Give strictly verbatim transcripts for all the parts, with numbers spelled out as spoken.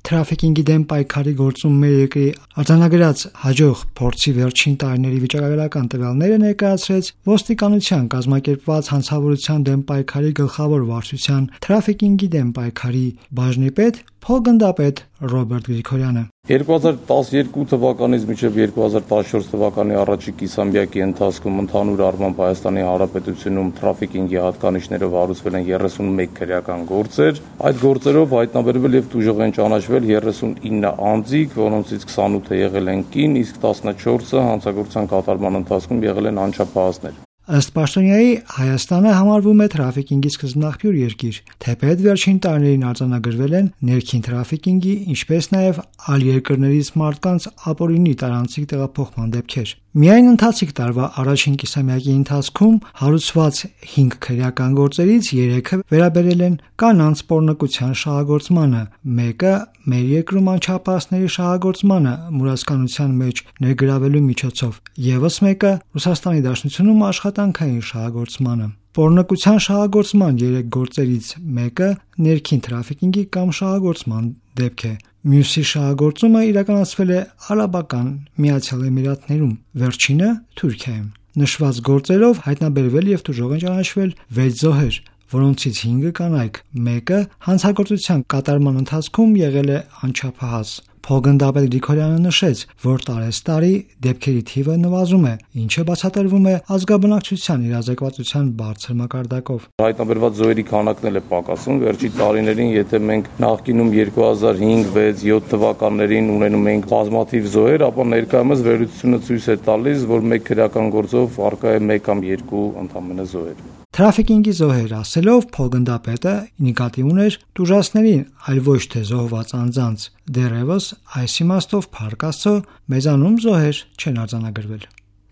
Թրաֆիկինգի դեմ պայքարի գործում մեր երկրի արձանագրած հաջող փորձի վերջին տարիների վիճակագրական տվյալները ներկայացրեց ոստիկանության կազմակերպված հանցավորության դեմ պայքարի գլխավոր վարչության թրաֆիկինգի դեմ պայքարի բաժնի պետ փոխգնդապետ Ռոբերտ Գրիգորյանը։ երկու հազար տասնյոթ թվականից մինչև երկու հազար տասնչորս թվականի առաջին կիսամյակի ընթացքում ընդհանուր առմամբ Հայաստանի Հանրապետությունում թրաֆիկինգի հատկանիշներով հարուցվել են երեսունմեկ քրեական գործեր։ Այդ գործերով հայտնաբերվել եւ տուժող են ճանաչվել երեսունինը անձիկ, որոնցից քսանութը եղել են կին, իսկ տասնչորսը հանցագործության կատարման ընթացքում եղել են անչափահասներ։ Ըստ պաշտոնյայի Հայաստանը համարվում է թրաֆիկինգի սկզբնաղբյուր երկիր, թեպետ վերջին տարիներին արձանագրվել են ներքին թրաֆիկինգի, ինչպես նաև այլ երկրներից մարդկանց ապօրինի տարանցիկ տեղափոխման դեպքեր։ Միայն ընթացիկ տարվա առաջին կիսամյակի ընթացքում հարուցված հինգ քրեական գործերից երեքը վերաբերել են կանանց պոռնկության շահագործմանը, մեկը մեր երկրում անչափահասների շահագործմանը մուրացկանության մեջ ներգրավելու միջոցով, ևս մեկը Ռուսաստանի Դաշնությունում աշխատանքային շահագործմանը։ Պոռնկության շահագործման երեք գործերից մեկը ներքին թրաֆիկինգի կամ շահագործման դեպք է։ Մյուսի շահագործումը իրականացվել է Արաբական Միացյալ Էմիրատներում, վերջինը Թուրքիայում։ Նշված գործերով հայտնաբերվել եւ տուժող են ճանաչվել վեց զոհեր, որոնցից հինգը կանայք, մեկը հանցագործության կատարման ընթացքում եղել է անչափահաս։ Փոխգնդապետ Գրիգորյանը նշեց, որ տարեստարի դեպքերի թիվը նվազում է, ինչը բացատրվում է ազգաբնակչության իրազեկվածության բարձր մակարդակով։ Հայտնաբերված զոհերի քանակն էլ է պակասում։ Վերջին տարիներին, եթե մենք նախկինում երկու հազար հինգ, վեց, յոթ թվականներին ունենում էինք բազմաթիվ զոհեր, ապա ներկայումս վերլուծությունը ցույց է տալիս, որ մեկ քրեական գործով առկա է մեկ կամ երկու ընդամենը զոհեր։ Թրաֆիկինգի զոհեր ասելով փոխգնդապետը նկատի ուներ տուժածներին, այլ ոչ թե զոհված անձանց։ Դեռևս այս իմաստով փառք Աստծո մեզանում զոհեր չեն արձանագրվել։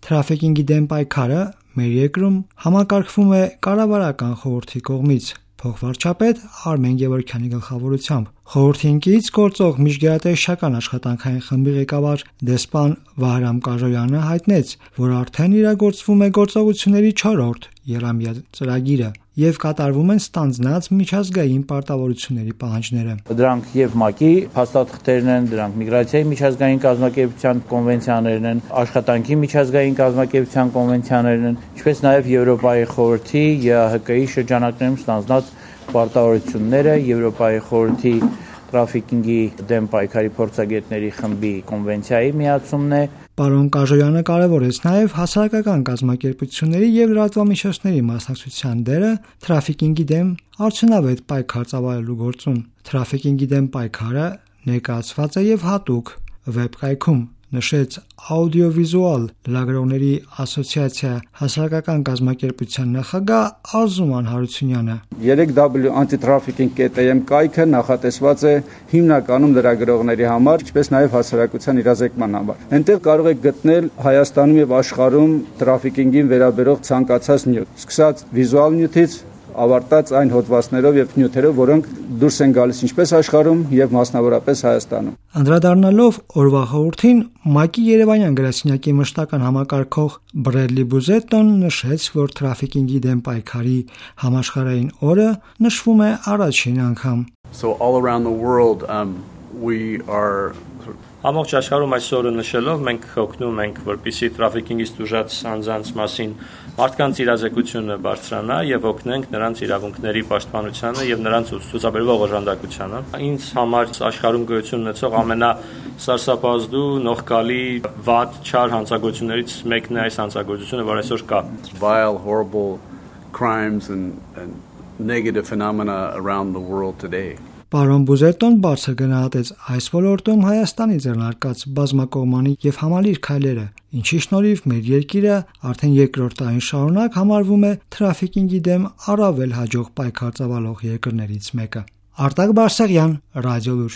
Թրաֆիկինգի դեմ պայքարը մեր երկրում համակարգվում է կառավարական խորհրդի կողմից, փոխվարչապետ Արմեն Գևորգյանի գլխավորությամբ։ Խորհրդի ինքնից գործող միջգերատեսչական աշխատանքային խմբի ղեկավար դեսպան Վահրամ Կաժոյանը հայտնեց, որ արդեն իրագործվում է գործողությունների չորրորդ եռամյա ծրագիրը եւ կատարվում են ստանձնած միջազգային պարտավորությունների պահանջները։ Դրանք եւ ՄԱԿ-ի փաստաթղթերն են, դրանք միգրացիայի միջազգային կազմակերպության կոնվենցիաներն են, աշխատանքի միջազգային կազմակերպության կոնվենցիաներն են, ինչպես նաեւ Եվրոպայի խորհրդի ԵԱՀԿ-ի շրջանակներում ստանձնած պարտավորությունները, Եվրոպայի խորհրդի թրաֆիկինգի դեմ պայքարի փորձագետների խմբի կոնվենցիայի միացումն է։ Պարոն Կաժոյանը կարևորեց նաև հասարակական կազմակերպությունների եւ լրատվամիջոցների մասնակցության դերը թրաֆիկինգի դեմ արդյունավետ պայքար ծավալելու գործում։ Թրաֆիկինգի դեմ պայքարը ներկայացված է եւ հատուկ վեբկայքում, նշեց աուդիովիզուալ լրագրողների ասոցիացիա հասարակական կազմակերպության նախագահ Արզուման Հարությունյանը։ three w anti-trafficking dot a m կայքը նախատեսված է հիմնականում լրագրողների համար, ինչպես նաև հասարակության իրազեկման համար։ Այնտեղ կարող եք գտնել Հայաստանում եւ աշխարհում թրաֆիկինգին վերաբերող ցանկացած նյութ, սկսած վիզուալ նյութից ավարտած այն հոդվածներով եւ նյութերով, որոնք դուրս են գալիս ինչպես աշխարհում եւ մասնավորապես Հայաստանում։ Անդրադառնալով օրվա խորհրդին, ՄԱԿ-ի Երևանյան գրասենյակի մշտական համակարգող Բրեդլի Բուզետոն նշեց, որ թրաֆիկինգի դեմ պայքարի համաշխարհային օրը նշվում է առաջին անգամ։ So all around the world um, we are Ամբողջ աշխարհում այս օրը նշելով մենք օգնում ենք, որպեսզի թրաֆիկինգից տուժած անձանց մասին մարդկանց իրազեկությունը բարձրանա եւ օգնենք նրանց իրավունքների պաշտպանությանը եւ նրանց ցուցաբերվող օժանդակությանը։ Ինձ համար աշխարհում գոյություն ունեցող ամենասարսափազդու նողկալի վատ չար հանցագործություններից մեկն է այս հանցագործությունը, որ այսօր կա։ Vile, horrible crimes and, and negative phenomena around the world today. Պարոն Բուզետոն բարձր գնահատեց այս ոլորտում Հայաստանի ձեռնարկած բազմակողմանի եւ համալիր քայլերը, ինչի շնորհիվ մեր երկիրը արդեն երկրորդ տարին շարունակ համարվում է թրաֆիկինգի դեմ առավել հաջող պայքար ծավալող երկրներից մեկը։ Արտակ Բարսեղյան, Ռադիոլուր։